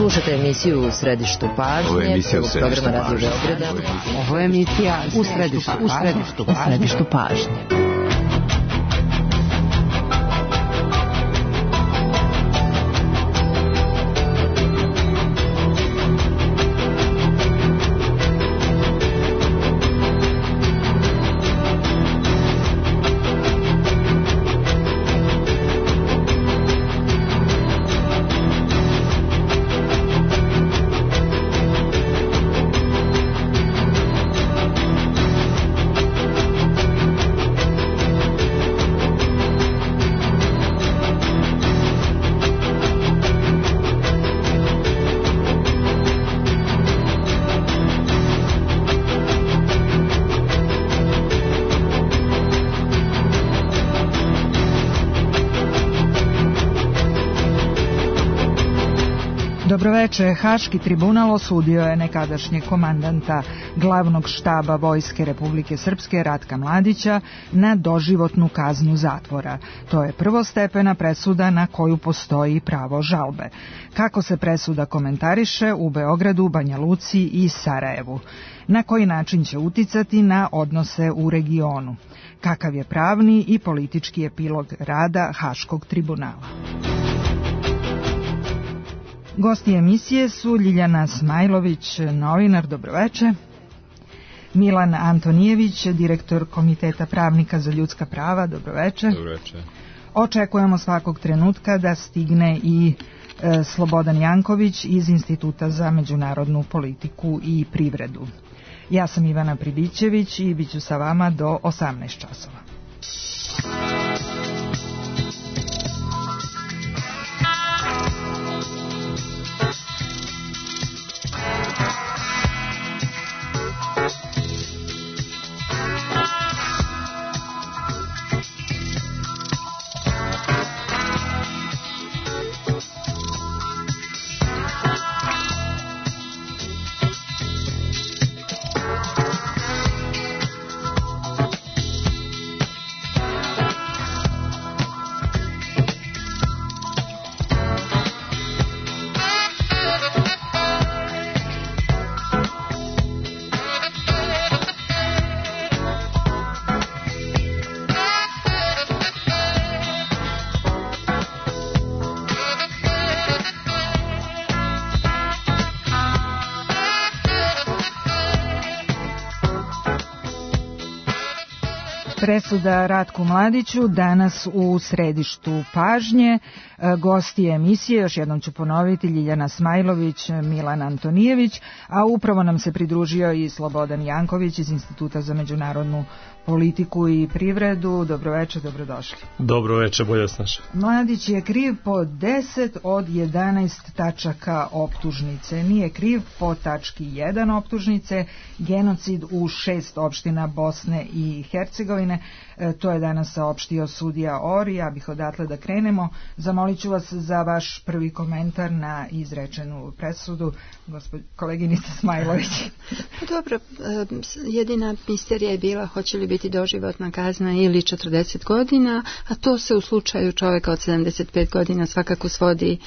Slušajte emisiju U središtu pažnje, programa Radio Beograda. Ovo je emisija U središtu pažnje. Dobroveče. Haški tribunal osudio je nekadašnjeg komandanta glavnog štaba Vojske Republike Srpske Ratka Mladića na doživotnu kaznu zatvora. To je prvostepena presuda na koju postoji pravo žalbe. Kako se presuda komentariše u Beogradu, Banja Luci i Sarajevu? Na koji način će uticati na odnose u regionu? Kakav je pravni i politički epilog rada Haškog tribunala? Gosti emisije su Ljiljana Smajlović, novinar, dobroveče, Milan Antonijević, direktor Komiteta pravnika za ljudska prava, dobroveče. Dobroveče. Očekujemo svakog trenutka da stigne i Slobodan Janković iz Instituta za međunarodnu politiku i privredu. Ja sam Ivana Pribićević i bit ću sa vama do 18 časova. Presuda Ratku Mladiću danas u središtu pažnje. Gosti emisije, još jednom ću ponoviti, Ljiljana Smajlović, Milan Antonijević, a upravo nam se pridružio i Slobodan Janković iz Instituta za međunarodnu politiku i privredu. Dobroveče, dobrodošli. Dobroveče, bolje snaša. Mladić je kriv po 10 od 11 tačaka optužnice. Nije kriv po tački 1 optužnice, genocid u 6 opština Bosne i Hercegovine. To je danas saopštio sudija Ori. Ja bih odatle da krenemo. Zamolit ću vas za vaš prvi komentar na izrečenu presudu, koleginica Smajlović. Dobro, jedina misterija je bila hoće li biti doživotna kazna ili 40 godina, a to se u slučaju čovjeka od 75 godina svakako svodi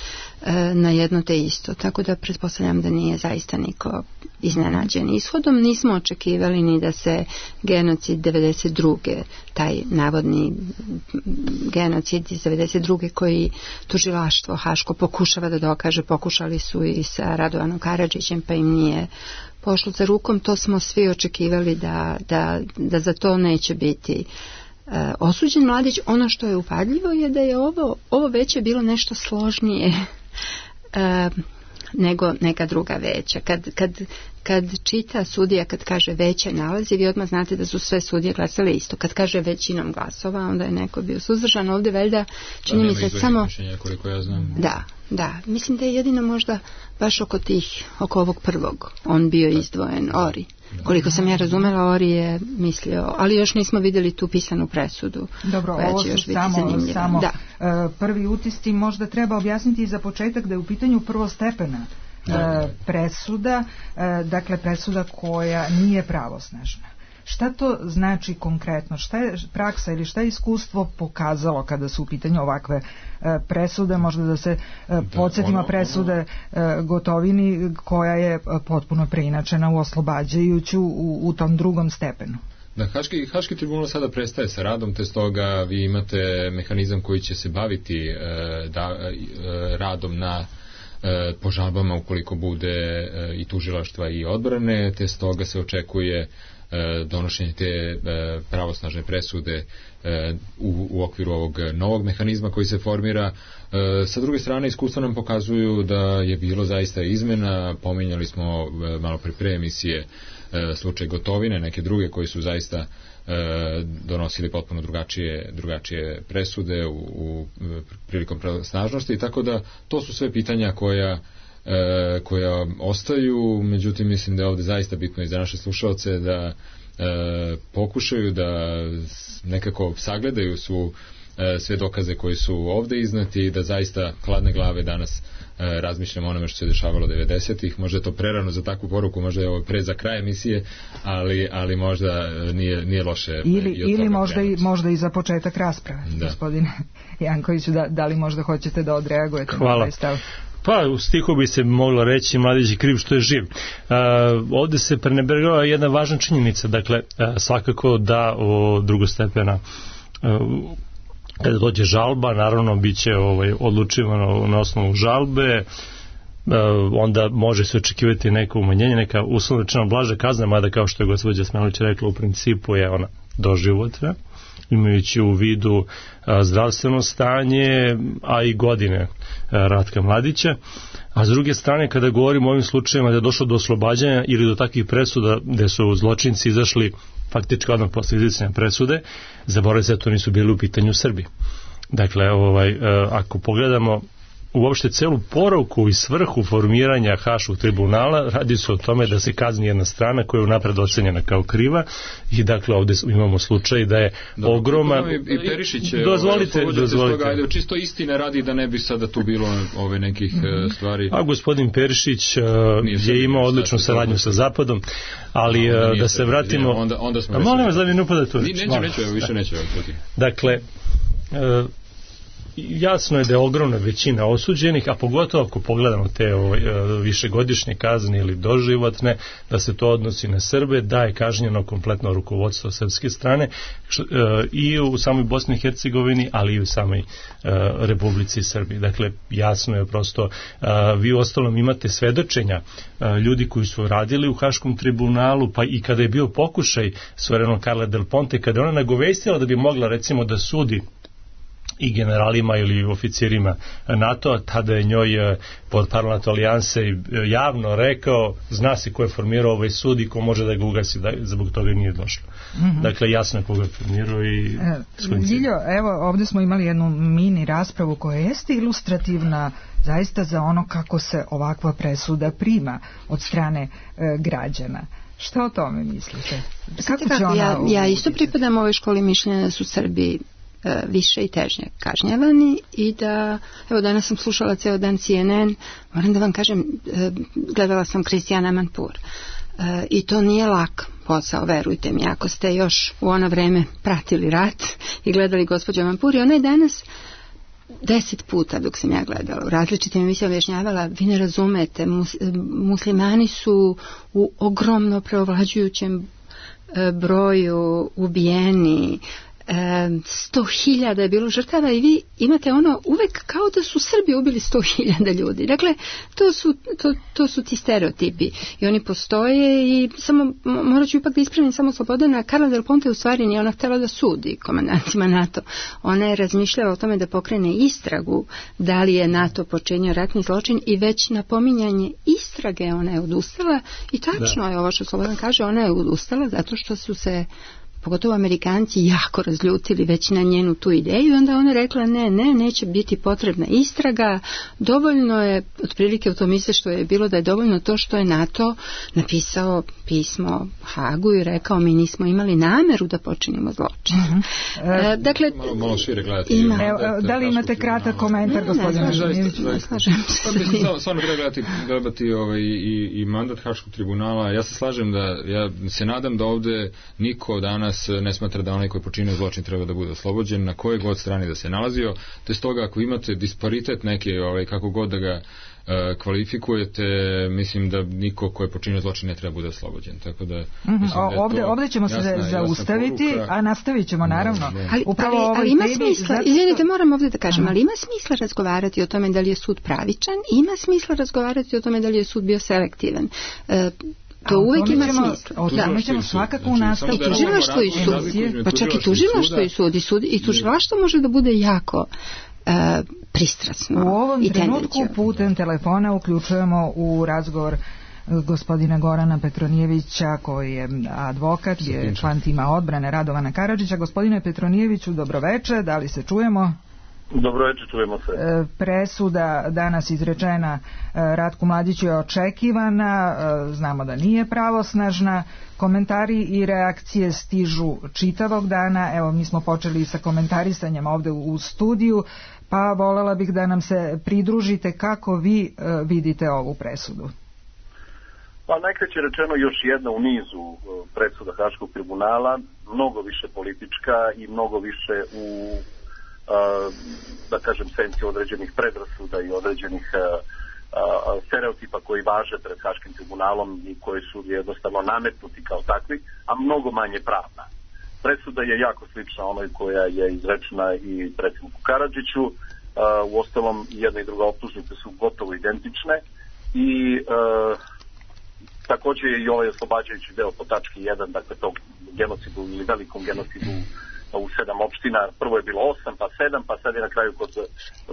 na jedno te isto. Tako da pretpostavljam da nije zaista niko iznenađen ishodom. Nismo očekivali ni da se genocid 92. taj navodni genocid iz 92. koji tužilaštvo Haško pokušava da dokaže, pokušali su i sa Radovanom Karadžićem, pa im nije pošlo za rukom. To smo svi očekivali da za to neće biti osuđen Mladić. Ono što je upadljivo je da je ovo veće bilo nešto složnije nego neka druga veća. Kad čita sudija, kad kaže veće nalazi, vi odmah znate da su sve sudije glasale isto. Kad kaže većinom glasova, onda je neko bio suzdržan. Ovdje valjda čini mi se samo... Koliko ja znam. Da. Mislim da je jedino možda baš oko ovog prvog on bio izdvojen, Ori. Koliko sam ja razumela, Ori je mislio, ali još nismo vidjeli tu pisanu presudu. Dobro, ovo su samo prvi utisci. Možda treba objasniti za početak da je u pitanju prvostepena presuda, dakle presuda koja nije pravosnažna. Šta to znači konkretno? Šta je praksa ili šta je iskustvo pokazalo kada su u pitanju ovakve presude? Možda da se podsjetimo presude Gotovini koja je potpuno preinačena u oslobađajuću u tom drugom stepenu. Da, Haški tribunal sada prestaje sa radom, te stoga vi imate mehanizam koji će se baviti radom na po žalbama ukoliko bude i tužilaštva i odbrane, te stoga se očekuje donošenje te pravosnažne presude u okviru ovog novog mehanizma koji se formira. Sa druge strane, iskustva nam pokazuju da je bilo zaista izmena. Pominjali smo malo pre emisije slučaj Gotovine, neke druge koji su zaista donosili potpuno drugačije presude prilikom pravosnažnosti, tako da to su sve pitanja koja ostaju. Međutim, mislim da je ovde zaista bitno i za naše slušalce da pokušaju da nekako sagledaju sve dokaze koji su ovde iznati i da zaista hladne glave danas razmišljamo o onome što se dešavalo 90-ih. Možda je to prerano za takvu poruku, možda je ovo pre za kraj emisije, ali možda nije loše. Ili možda i za početak rasprave. Gospodine Jankoviću, da li možda hoćete da odreagujete na ovaj stav? Pa, u stihu bi se moglo reći mladić je kriv što je živ. Ovde se prenebregava jedna važna činjenica, dakle, svakako da drugostepena kada dođe žalba, naravno bit će odlučivano na osnovu žalbe, onda može se očekivati neko umanjenje, neka uslovno rečeno blaža kazna, mada kao što je gospođa Smajlović rekla, u principu je ona doživotna, imajući u vidu zdravstveno stanje, a i godine Ratka Mladića. A s druge strane, kada govorimo o ovim slučajevima da je došlo do oslobađanja ili do takvih presuda gde su zločinci izašli faktički odmah posle izricanja presude, zaboravite se da to nisu bili u pitanju Srbi. Dakle, ako pogledamo uopšte celu poruku i svrhu formiranja Haškog tribunala, radi se o tome da se kazni jedna strana koja je unapred ocenjena kao kriva i dakle ovde imamo slučaj da je ogroman... I Perišić dozvolite. Ajde, čisto istine radi da ne bi sada tu bilo ove nekih stvari. A gospodin Perišić je imao odličnu saradnju sa Zapadom, ali da se vratimo... Onda smo... Molim vas da mi ne upadate u Neću. Dakle, jasno je da je ogromna većina osuđenih, a pogotovo ako pogledamo te višegodišnje kazne ili doživotne, da se to odnosi na Srbe, da je kažnjeno kompletno rukovodstvo srpske strane i u samoj Bosni i Hercegovini, ali i u samoj Republici Srbiji. Dakle, jasno je prosto, vi uostalom imate svedočenja ljudi koji su radili u Haškom tribunalu, pa i kada je bio pokušaj svojevremeno Carla Del Ponte, kada je ona nagovestila da bi mogla recimo da sudi i generalima ili oficirima NATO-a, tada je njoj pod parlamentu alijanse javno rekao, zna se ko je formirao ovaj sud i ko može da ga ugasi, zbog toga nije došlo. Dakle, jasno je koga je formirao i... Ljiljo, evo, ovde smo imali jednu mini raspravu koja jeste ilustrativna zaista za ono kako se ovakva presuda prima od strane građana. Šta o tome mislite? Ja isto pripadam ovoj školi mišljenja da su Srbi više i težnje kažnjavani i da, evo danas sam slušala ceo dan CNN, moram da vam kažem, gledala sam Kristijana Amanpour i to nije lak posao, verujte mi, ako ste još u ono vreme pratili rat i gledali gospođu Amanpour, i ona je danas 10 puta dok sam ja gledala u različitim emisijama objašnjavala, vi ne razumete, muslimani su u ogromno preovlađujućem broju ubijeni, 100.000 je bilo žrtava i vi imate ono uvek kao da su Srbi ubili 100.000 ljudi. Dakle, to su ti stereotipi i oni postoje i samo, morat ću ipak da ispravim samo Slobodana, Carla Del Ponte u stvari nije ona htjela da sudi komandantima NATO. Ona je razmišljala o tome da pokrene istragu da li je NATO počinio ratni zločin i već na pominjanje istrage ona je odustala i tačno je ovo što Slobodan kaže, ona je odustala zato što su se pogotovo Amerikanci, jako razljutili već na njenu tu ideju. Onda ona rekla neće biti potrebna istraga, dovoljno je, otprilike u tom izveštaju je bilo da je dovoljno to što je NATO napisao pismo Hagu i rekao mi nismo imali nameru da počinimo zločin. Dakle, malo šire gledati. Da li imate kratak komentar, gospodine Živinović? Slažem se. Stvarno treba gledati i mandat Haškog tribunala. Ja se slažem ja se nadam da ovde niko danas ne smatra da onaj koji počinio zločin treba da bude oslobođen, na kojoj god strani da se nalazio, te stoga ako imate disparitet neke, kako god da ga kvalifikujete, mislim da niko ko je počinio zločin ne treba bude oslobođen. Tako da, ovde ćemo se zaustaviti, a nastavit ćemo naravno. Ali ima smisla, izvinite, moram ovde da kažem, ali ima smisla razgovarati o tome da li je sud pravičan, ima smisla razgovarati o tome da li je sud bio selektivan. To uvijek ima smisla. O tome ćemo svakako u nastavku. I tužilaštvo i sud, pa čak i tužilaštvo i sud, i tužilaštvo može da bude jako pristrasno. U ovom trenutku putem telefona uključujemo u razgovor gospodina Gorana Petronijevića, koji je advokat, je član tima odbrane Radovana Karadžića. Gospodine Petronijeviću, dobroveče, da li se čujemo? Dobroveče, čujemo se. Presuda danas izrečena Ratku Mladiću je očekivana, znamo da nije pravosnažna, komentari i reakcije stižu čitavog dana. Evo, mi smo počeli sa komentarisanjem ovde u studiju, pa volela bih da nam se pridružite kako vi vidite ovu presudu. Pa najkraće rečeno još jedna u nizu presuda Haškog tribunala, mnogo više politička i mnogo više u da kažem senci određenih predrasuda i određenih stereotipa koji važe pred Haškim tribunalom i koji su jednostavno nametnuti kao takvi, a mnogo manje pravna. Presuda je jako slična onoj koja je izrečena i predsjedniku Karadžiću, uostalom jedna i druga optužnice su gotovo identične i također je i ovaj oslobađajući deo po tački 1, dakle tog genocidu ili velikom genocidu u 7 opština, prvo je bilo 8, pa 7, pa sad je na kraju kod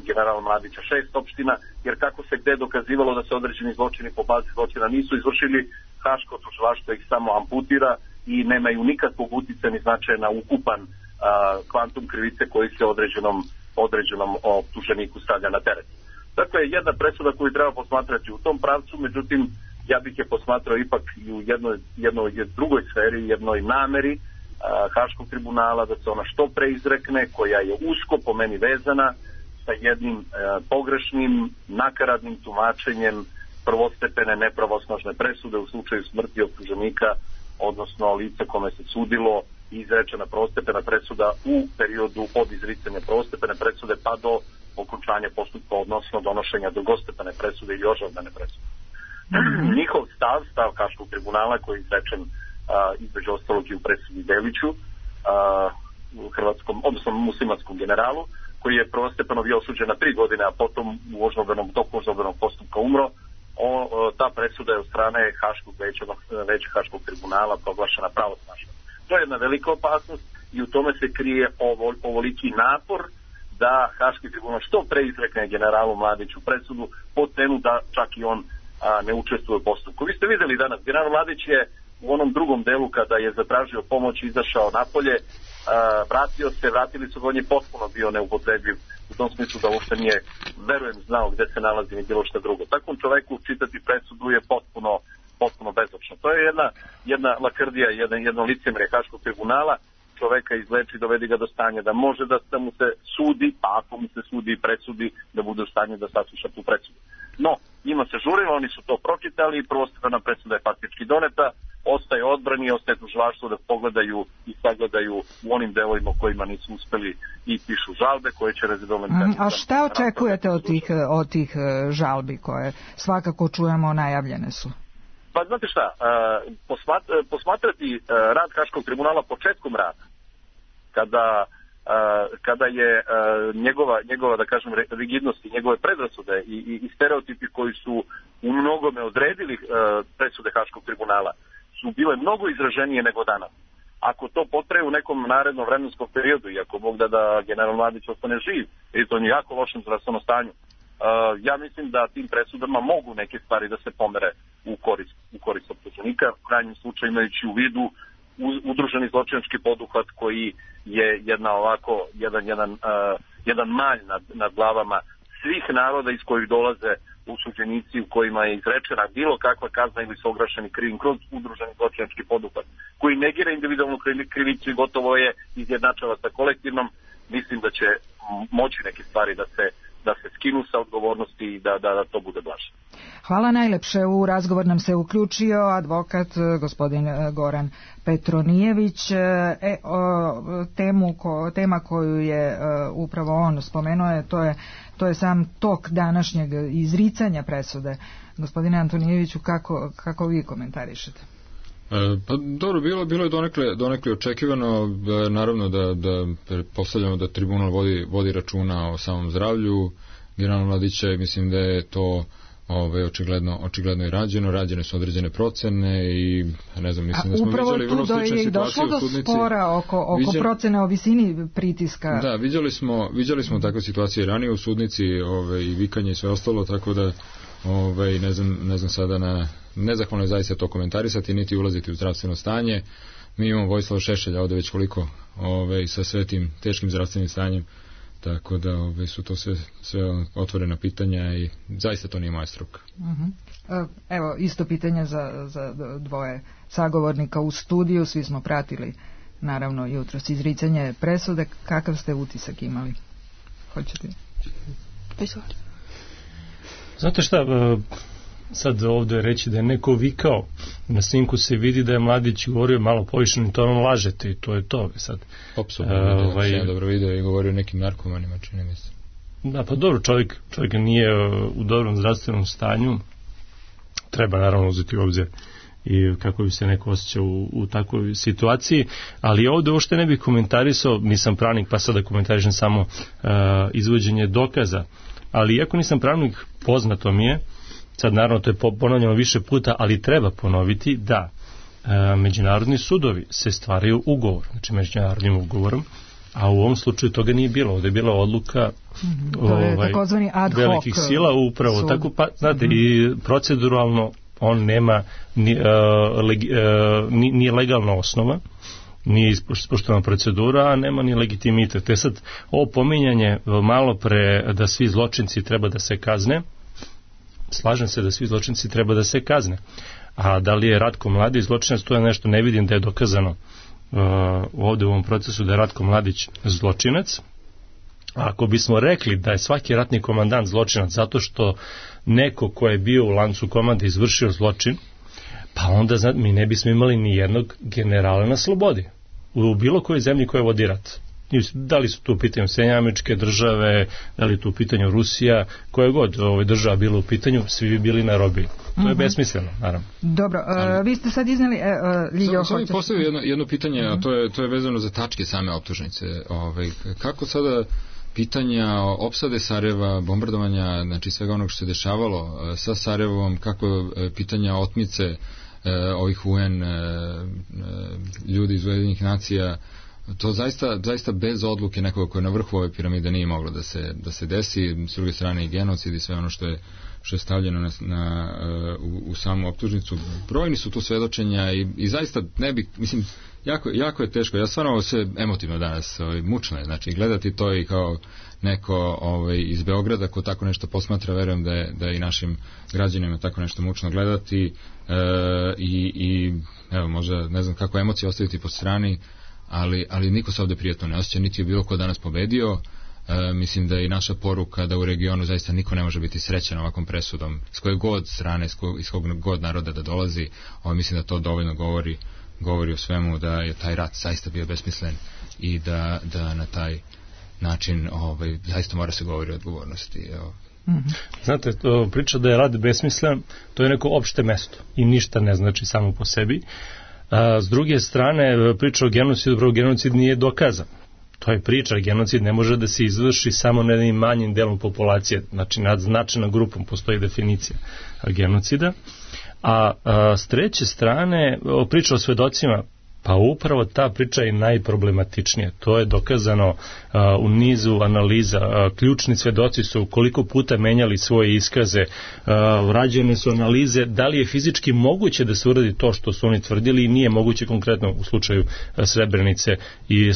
generala Mladića 6 opština, jer kako se gde dokazivalo da se određeni zločini po bazi zločina nisu izvršili, Haško tužilaštvo ih samo amputira i nemaju nikakvog uticaja ni značaja na ukupan kvantum krivice koji se određenom optuženiku stavlja na teret. Dakle, jedna presuda koju treba posmatrati u tom pravcu, međutim, ja bih je posmatrao ipak i u jednoj drugoj sferi, jednoj nameri Haškog tribunala, da se ona što pre izrekne, koja je usko po meni vezana sa jednim pogrešnim, nakaradnim tumačenjem prvostepene nepravosnažne presude u slučaju smrti optuženika, odnosno lica kome se sudilo i izrečena prvostepena presuda u periodu od izricanja prvostepene presude pa do okončanja postupka, odnosno donošenja drugostepene presude ili ožalbene presude. Njihov stav Haškog tribunala koji je izrečen između ostalog i u presudi Deliću, hrvatskom, odnosno muslimanskom generalu, koji je prvostepeno bio osuđen na 3 godine, a potom u toku ožalbenog postupka umro. Ta presuda je od strane veća Haškog tribunala proglašena pravosnažna. To je jedna velika opasnost i u tome se krije ovoliki napor da Haški tribunal što pre izrekne generalu Mladiću presudu po cenu da čak i on ne učestvuje u postupku. Vi ste videli danas, general Mladić je u onom drugom delu kada je zatražio pomoć izašao napolje, vratili su ga, on je potpuno bio neupotrebljiv u tom smislu da uopšte nije, verujem, znao gde se nalazi ni bilo šta drugo. Takvom čoveku čitati presudu je potpuno bezočno. To je jedna lakrdija, jedno licemjerje Haškog tribunala, čoveka izleči, dovedi ga do stanja da može da mu se sudi, pa ako mu se sudi i presudi, da bude u stanju da sasluša tu presudu. No, njima se žurilo, oni su to pročitali, prvostepena presuda je faktički doneta, ostaje odbrani, ostaje tužilaštvo da pogledaju i sagledaju u onim delovima kojima nisu uspeli i pišu žalbe koje će rezidovan. A šta očekujete od tih žalbi koje svakako čujemo najavljene su? Pa znate šta, posmatrati rad Haškog tribunala početkom rada, kada je njegova da kažem rigidnost i njegove predrasude i stereotipi koji su u mnogome odredili presude Haškog tribunala su bile mnogo izraženije nego danas. Ako to potraje u nekom narednom vremenskom periodu i ako Bog da general Mladić ostane živ, jer to je jako lošem zdravstvenom stanju, ja mislim da tim presudama mogu neke stvari da se pomere u korist optuženika, u krajnjem slučaju imajući u vidu udruženi zločinački poduhvat koji je jedan malj nad glavama svih naroda iz kojih dolaze osuđenici u kojima je izrečena bilo kakva kazna ili su ograšeni krivim kroz udruženi zločinački poduhvat koji negira individualnu krivicu i gotovo je izjednačava sa kolektivnom. Mislim da će moći neke stvari da se skinu sa odgovornosti i da to bude blaže. Hvala najlepše. U razgovor nam se uključio advokat gospodin Goran Petronijević. Tema koju je upravo on spomenuo to je sam tok današnjeg izricanja presude. Gospodine Antonijeviću, kako vi komentarišete? Pa dobro, bilo je donekle očekivano, naravno da pretpostavljamo da tribunal vodi računa o samom zdravlju generala Mladića i mislim da je to očigledno i rađene su određene procene i ne znam, mislim da smo viđali vrlo slične situacije u sudnici. Upravo tu je došlo do spora oko procene o visini pritiska. Da, viđali smo takve situacije ranije u sudnici i vikanje i sve ostalo, tako da ne znam sada nezahvalno je zaista to komentarisati niti ulaziti u zdravstveno stanje. Mi imamo Vojislava Šešelja ovde već koliko sa sve tim teškim zdravstvenim stanjem, tako da su to sve otvorena pitanja i zaista to nije moja struka. Evo, isto pitanje za dvoje sagovornika u studiju. Svi smo pratili naravno jutros izricanje presude. Kakav ste utisak imali? Hoćete? Znate šta, sad ovdje reći da je neko vikao, na snimku se vidi da je Mladić govorio malo povišenim tonom, lažete i to je to sad. Apsolutno, ja dobro vidio i govorio o nekim narkomanima, čini mi se. Da, pa dobro, čovjek nije u dobrom zdravstvenom stanju, treba naravno uzeti u obzir i kako bi se neko osjećao u takvoj situaciji, ali ovdje uopšte ne bih komentarisao, nisam pravnik pa sad da komentarišem samo izvođenje dokaza, ali iako nisam pravnik, poznato mi je, sad naravno to je ponavljamo više puta, ali treba ponoviti da međunarodni sudovi se stvaraju ugovor, znači međunarodnim ugovorom, a u ovom slučaju toga nije bilo, ovdje je bila odluka velikih sila upravo sud. Tako pa, znate, i proceduralno on nema nije legalna osnova, nije ispoštovana procedura, a nema ni legitimitet. To je sad ovo pominjanje malo pre da svi zločinci treba da se kazne. Slažem se da svi zločinci treba da se kazne. A da li je Ratko Mladić zločinac, to je nešto, ne vidim da je dokazano ovdje u ovom procesu da je Ratko Mladić zločinac. A ako bismo rekli da je svaki ratni komandant zločinac zato što neko ko je bio u lancu komande izvršio zločin, pa onda mi ne bismo imali ni jednog generala na slobodi u bilo kojoj zemlji koja vodi rat. Da li su tu u pitanju Sjedinjene Američke Države, da li tu u pitanju Rusija, koja god država bila u pitanju, svi bi bili na robiji. To je besmisleno, naravno. Dobro, vi ste sad iznali... Samo mi postavio jedno pitanje, a to je vezano za tačke same optužnice. Kako sada pitanja opsade Sarajeva, bombardovanja, znači svega onog što se dešavalo sa Sarajevom, kako pitanja otmice ovih UN ljudi iz Ujedinjenih nacija, to zaista bez odluke nekoga koja je na vrhu ove piramide nije moglo da se desi, s druge strane i genocid i sve ono što je stavljeno u samu optužnicu. Brojni su tu svedočenja i zaista ne bi, mislim, jako je teško. Ja stvarno ovo sve emotivno danas, mučno je, znači gledati to i kao neko iz Beograda ko tako nešto posmatra, verujem da je i našim građanima tako nešto mučno gledati i evo, možda ne znam kako emocije ostaviti po strani, ali niko se ovdje prijatno ne osjeća, niti je bilo ko danas pobedio. Mislim da je i naša poruka da u regionu zaista niko ne može biti srećan ovakvom presudom, s koje god strane, iz kog god naroda da dolazi. Mislim da to dovoljno govori o svemu, da je taj rat zaista bio besmislen i da na taj način zaista mora se govori o odgovornosti. Znate, priča da je rat besmislen, to je neko opšte mesto i ništa ne znači samo po sebi. S druge strane, priča o genocidu, genocid nije dokazan. To je priča, genocid ne može da se izvrši samo na jednim manjim delom populacije, znači nad značajnom grupom postoji definicija genocida. A s treće strane, priča o svedocima, Pa upravo ta priča je najproblematičnija. To je dokazano u nizu analiza. Ključni svedoci su koliko puta menjali svoje iskaze. Rađene su analize da li je fizički moguće da se uradi to što su oni tvrdili i nije moguće, konkretno u slučaju Srebrenice i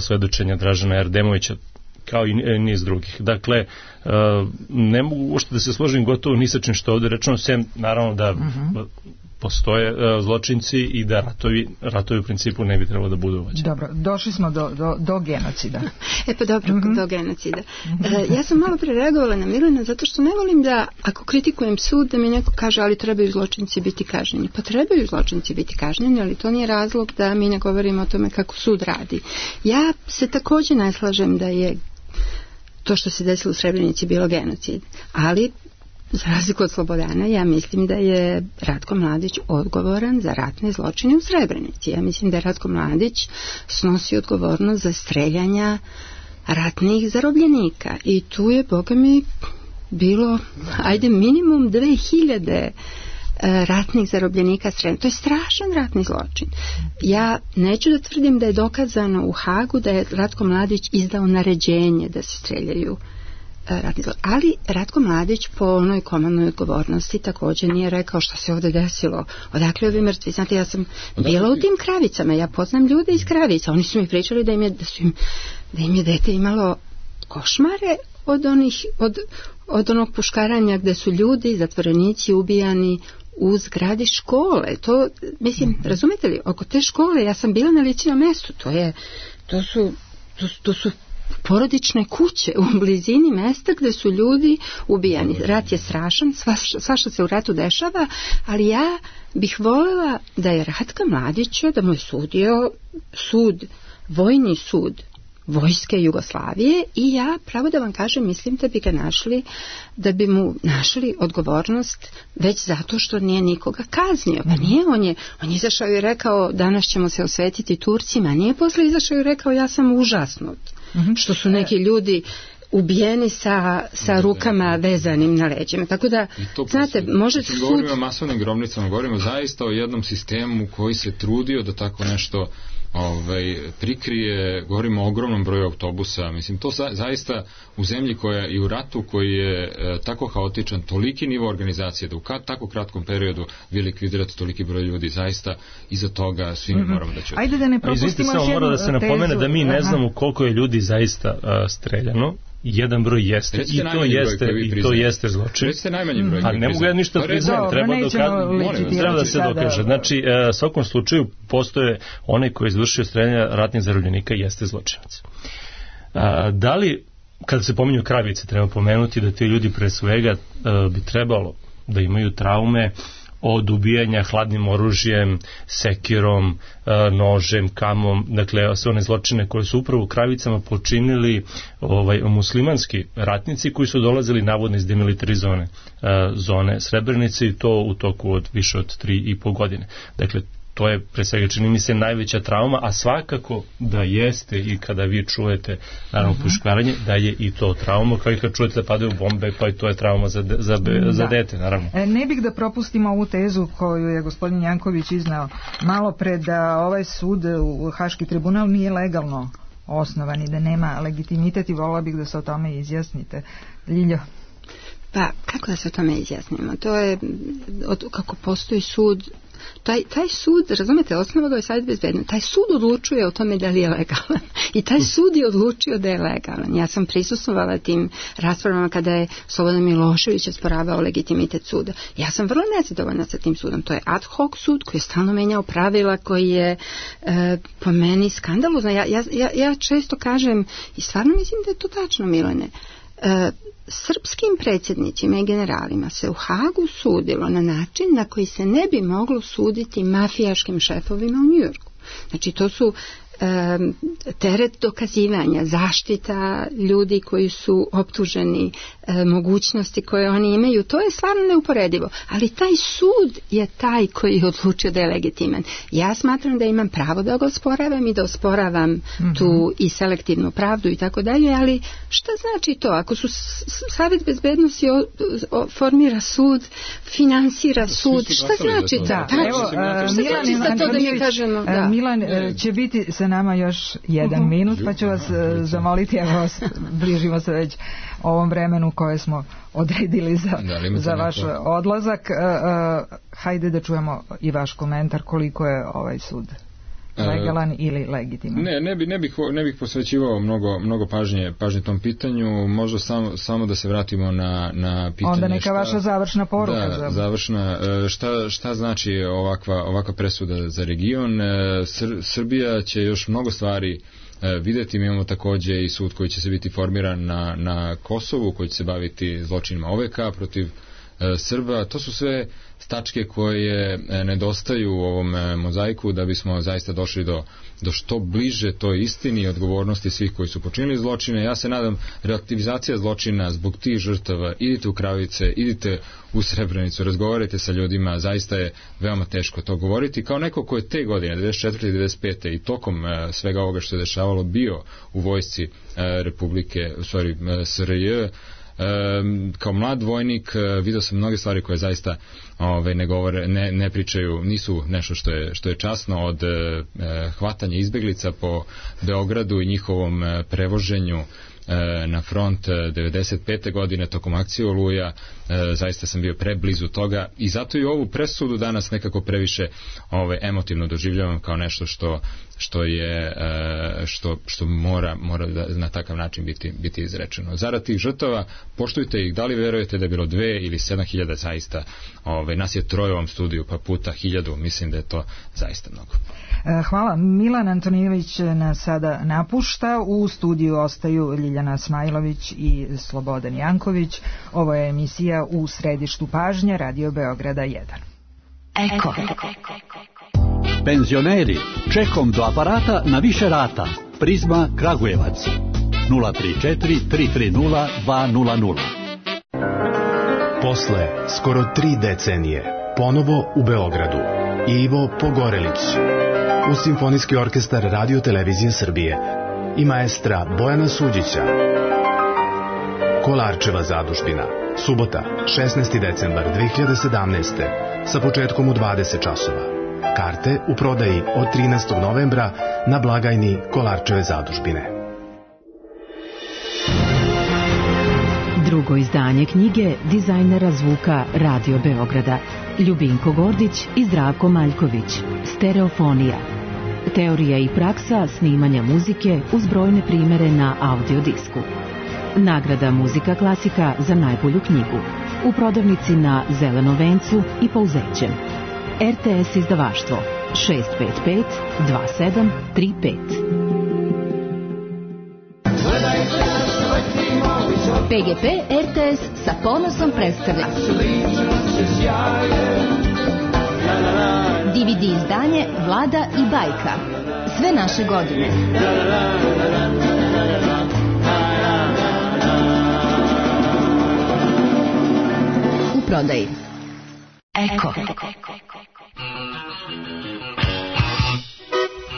svedočenja Dražana Erdemovića, kao i niz drugih. Dakle, ne mogu uopšte da se složim gotovo ni sa čim što ovde rečeno, sem naravno da postoje zločinci i da ratovi u principu ne bi trebalo da budu vođeni. Dobro, došli smo do genocida. Pa dobro, do genocida. Ja sam malo prereagovala na Milena zato što ne volim da, ako kritikujem sud, da mi neko kaže ali trebaju zločinci biti kažnjeni. Pa trebaju zločinci biti kažnjeni, ali to nije razlog da mi ne govorimo o tome kako sud radi. Ja se takođe ne slažem da je to što se desilo u Srebrenici bilo genocid, ali za razliku od Slobodana, ja mislim da je Ratko Mladić odgovoran za ratne zločine u Srebrenici. Ja mislim da je Ratko Mladić snosi odgovornost za streljanja ratnih zarobljenika. I tu je, boga mi, bilo, minimum 2000 ratnih zarobljenika Srebrenice. To je strašan ratni zločin. Ja neću da tvrdim da je dokazano u Hagu da je Ratko Mladić izdao naređenje da se streljaju ratni zločin. Ali Ratko Mladić po onoj komandnoj odgovornosti također nije rekao šta se ovdje desilo. Odakle ovi mrtvi? Znate, ja sam bila u tim Kravicama. Ja poznam ljude iz Kravica. Oni su mi pričali da im je dete imalo košmare od onog puškaranja gde su ljudi, zatvorenici ubijani u zgradi škole. To, mislim, razumete li, oko te škole ja sam bila na ličnom mestu. To su porodične kuće u blizini mesta gde su ljudi ubijani. Rat je strašan, svašta se u ratu dešava, ali ja bih voljela da je Ratka Mladića, da mu je sudio vojni sud Vojske Jugoslavije i ja, pravo da vam kažem, mislim da bi mu našli odgovornost već zato što nije nikoga kaznio. Pa nije, on je izašao i rekao danas ćemo se osvetiti Turcima, nije posle izašao i rekao ja sam užasnut što su neki ljudi ubijeni sa rukama vezanim na leđima. Tako da, znate, može sud... Govorimo o masovnim grobnicama, govorimo zaista o jednom sistemu koji se trudio da tako nešto prikrije, govorimo o ogromnom broju autobusa, mislim, to zaista u zemlji koja i u ratu koji je tako haotičan, toliki nivo organizacije da u tako kratkom periodu vi likvidirate toliki broj ljudi, zaista iza toga svi mi moramo da ćemo. Ajde da ne propustimo samo mora da se napomene da mi ne znamo koliko je ljudi zaista streljano. Jedan broj jeste i to jeste zločin. Recite najmanji broj. Ali ne mogu ja ništa priznajem, treba da se dokaže. Znači, u svakom slučaju postoje onaj koji je izvršio streljanje ratnih zarobljenika jeste zločinac. Da li, kada se pominju Kravice, treba pomenuti da ti ljudi pre svega bi trebalo da imaju traume od ubijanja hladnim oružjem, sekirom, nožem, kamom, dakle sve one zločine koje su upravo u Kravicama počinili muslimanski ratnici koji su dolazili navodno iz demilitarizovane zone Srebrenice i to u toku od više od 3,5 godine. Dakle, to je pre svega čini mi se najveća trauma, a svakako da jeste i kada vi čujete naravno puškaranje, da je i to trauma, kao i kad čujete da padaju bombe, pa i to je trauma za dete, naravno. Ne bih da propustimo ovu tezu koju je gospodin Janković iznao malo pre, da ovaj sud, Haški tribunal, nije legalno osnovan i da nema legitimitet i volila bih da se o tome izjasnite. Ljiljo? Pa, kako da se o tome izjasnimo? To je, kako postoji sud, taj sud, razumete, osnova ga je Savet bezbednosti. Taj sud odlučuje o tome da li je legalan. I taj sud je odlučio da je legalan. Ja sam prisustvovala tim raspravama kada je Slobodan Milošević osporavao legitimitet suda. Ja sam vrlo nezadovoljna sa tim sudom. To je ad hoc sud koji je stalno menjao pravila, koji je po meni skandalozno. Ja često kažem, i stvarno mislim da je to tačno, Milane, srpskim predsjednicima i generalima se u Hagu sudilo na način na koji se ne bi moglo suditi mafijaškim šefovima u Njujorku. Znači, to su teret dokazivanja, zaštita ljudi koji su optuženi, mogućnosti koje oni imaju, to je stvarno neuporedivo. Ali taj sud je taj koji je odlučio da je legitiman. Ja smatram da imam pravo da ga osporavam i da osporavam tu i selektivnu pravdu i tako dalje, ali šta znači to? Ako su Savet bezbednosti formira sud, finansira sud, šta znači to? Evo, Milan će biti sa nama još jedan minut, pa ću vas zamoliti, evo, bližimo se već ovom vremenu koje smo odredili za vaš odlazak. Hajde da čujemo i vaš komentar koliko je ovaj sud legalan ili legitiman. Ne bih posvećivao mnogo pažnje tom pitanju, možda samo da se vratimo na pitanje. Onda neka vaša završna poruka. Da, završna. Šta znači ovakva presuda za region? Srbija će još mnogo stvari videti. Mi imamo takođe i sud koji će se biti formiran na Kosovu, koji će se baviti zločinima OVK protiv Srba. To su sve tačke koje nedostaju u ovom mozaiku da bismo zaista došli do što bliže toj istini i odgovornosti svih koji su počinili zločine. Ja se nadam, relativizacija zločina zbog tih žrtava, idite u Kravice, idite u Srebrenicu, razgovarajte sa ljudima, zaista je veoma teško to govoriti. Kao neko ko je te godine, 94. i 95. i tokom svega ovoga što je dešavalo bio u vojsci SRJ, kao mlad vojnik vidio sam mnoge stvari koje zaista ne govore, ne pričaju, nisu nešto što je časno, od hvatanja izbeglica po Beogradu i njihovom prevoženju na front 95. godine tokom akcije Oluja. Zaista sam bio preblizu toga i zato i ovu presudu danas nekako previše emotivno doživljavam kao nešto što mora na takav način biti izrečeno. Zarad tih žrtava, poštujte ih, da li verujete da je bilo 2 ili 7.000, zaista nas je 3 u ovom studiju, pa puta 1000, mislim da je to zaista mnogo. Hvala. Milan Antonijević nas sada napušta. U studiju ostaju Ljiljana Smajlović i Slobodan Janković. Ovo je emisija U središtu pažnje Radio Beograda 1. Eko. Penzioneri, čekom do aparata na više rata. Prizma Kragujevac 034 330 200. Posle skoro 3 decenije ponovo u Beogradu Ivo Pogorelić uz Simfonijski orkestar Radio Televizije Srbije i maestra Bojana Suđića. Kolarčeva zadužbina, subota 16. decembar 2017. sa početkom u 20 časova. Karte u prodaji od 13. novembra na blagajni Kolarčeve zadužbine. Drugo izdanje knjige dizajnera zvuka Radio Beograda Ljubinko Gordić i Zdravko Maljković. Stereofonija. Teorija i praksa snimanja muzike uz brojne primere na audiodisku. Nagrada Muzika klasika za najbolju knjigu. U prodavnici na Zelenom vencu i Pouzećem. RTS izdavaštvo 655 2735. PGP RTS sa ponosom predstavlja DVD izdanje Vlada i bajka. Sve naše godine. U prodaji. Eko.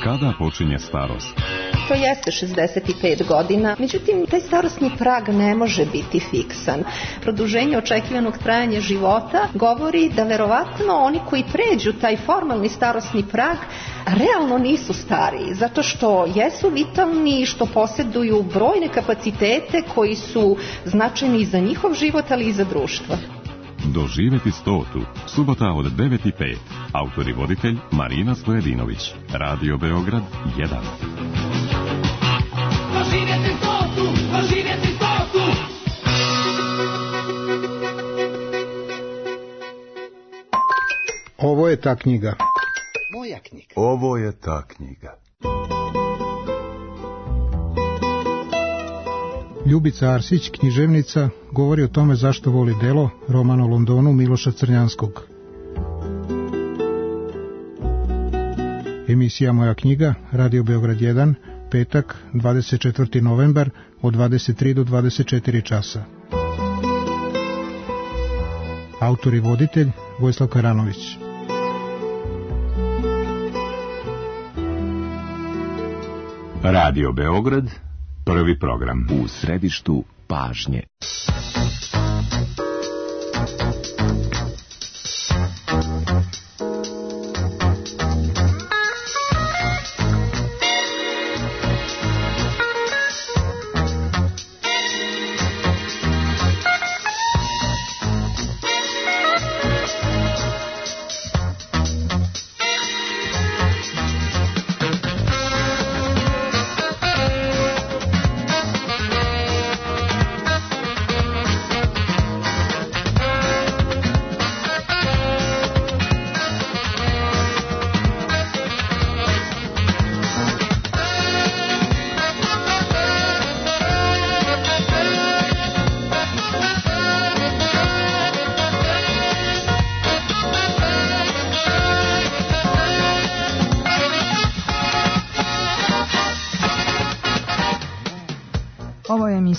Kada počinje starost? To jeste 65 godina, međutim, taj starosni prag ne može biti fiksan. Produženje očekivanog trajanja života govori da verovatno oni koji pređu taj formalni starosni prag realno nisu stariji, zato što jesu vitalni, što posjeduju brojne kapacitete koji su značajni za njihov život, ali i za društvo. Doživeti 100. Subota od 9:05. Autor i voditelj Marina Stojedinović. Radio Beograd 1. Doživjeti 100. Doživjeti 100. Ovo je ta knjiga. Moja knjiga. Ovo je ta knjiga. Ljubica Arsić, književnica, govori o tome zašto voli delo, roman o Londonu Miloša Crnjanskog. Emisija Moja knjiga, Radio Beograd 1, petak, 24. novembar, od 23 do 24 časa. Autor i voditelj Vojislav Karanović. Radio Beograd, prvi program. U središtu pažnje.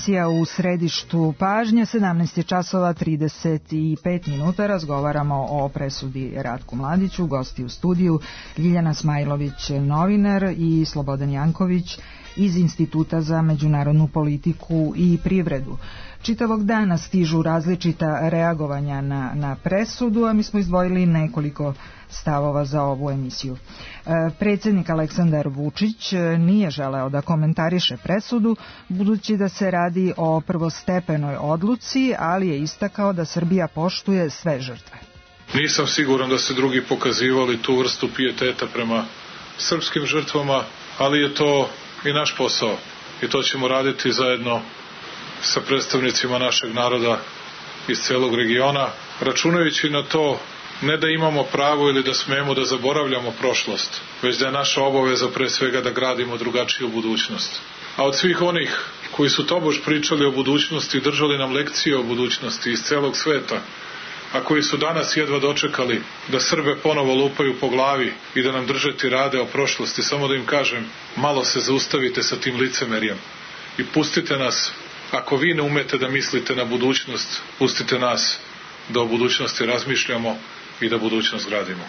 Emisija u središtu pažnje, 17 časova 35 minuta, razgovaramo o presudi Ratku Mladiću, gosti u studiju Ljiljana Smajlović, novinar, i Slobodan Janković iz Instituta za međunarodnu politiku i privredu. Čitavog dana stižu različita reagovanja na presudu, a mi smo izdvojili nekoliko stavova za ovu emisiju. Predsjednik Aleksandar Vučić nije želeo da komentariše presudu, budući da se radi o prvostepenoj odluci, ali je istakao da Srbija poštuje sve žrtve. Nisam siguran da se drugi pokazivali tu vrstu pijeteta prema srpskim žrtvama, ali je to i naš posao i to ćemo raditi zajedno sa predstavnicima našeg naroda iz celog regiona, računajući na to ne da imamo pravo ili da smemo da zaboravljamo prošlost, već da je naša obaveza pre svega da gradimo drugačiju budućnost. A od svih onih koji su tobož pričali o budućnosti i držali nam lekcije o budućnosti iz celog sveta, a koji su danas jedva dočekali da Srbe ponovo lupaju po glavi i da nam drže tirade o prošlosti, samo da im kažem, malo se zaustavite sa tim licemerjem i pustite nas, ako vi ne umete da mislite na budućnost, pustite nas da o budućnosti razmišljamo i da budućnost gradimo.